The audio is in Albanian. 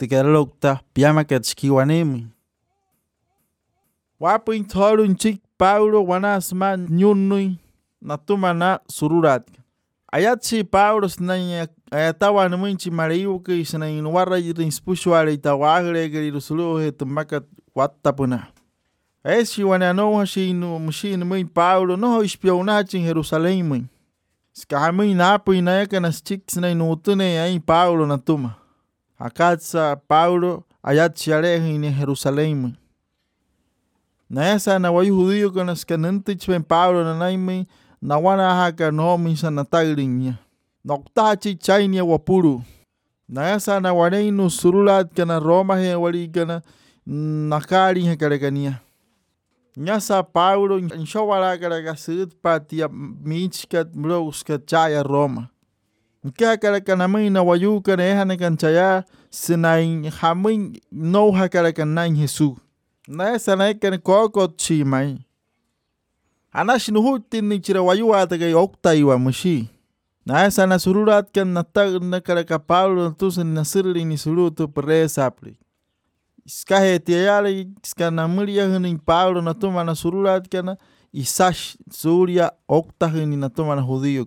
Tikarlokta piamakatxkiuanemi. Wapuin tholun chik Paulo wanasma ñunnui natumana sururatka. Ayatsi Paulo snanya ayatawa numinchi mariuki snayin warra rinspushwara itawagre gerirusuluhe tumaka wattapuna. Esi wananoha shinu mushin muy Paulo no ispionachin Jerusalén muy. Skahamuy napu inayakanas chik snayin utune ay Paulo natuma. Akatsa Paulo ayatsi aleje in Jerusalén muy. Naesa na wayu judío con las canantich ben Pablo na naime na wana haka no misa na tagrinya. Noktachi chainia wapuru. Naesa na wareinu surulat kana Roma he walikana nakari he karekania. Nyasa Paulo inshawara karakasit patia michkat mrouskat chaya Roma. Nka karakanamay na wayuka na eha na kanchaya sinain hamin no hakarakanain Jesús. Nasa na ikan koko chimay. Anash nuhutin ni chirawayua tagay oktaiwa mushi. Nasa na sururat kan natag na karaka Pablo tusen na sirli ni surutu presapli. Iskahe tiayali iskanamuria hunin Pablo na tuma na sururat kana isash suria oktahuni na tuma na judío.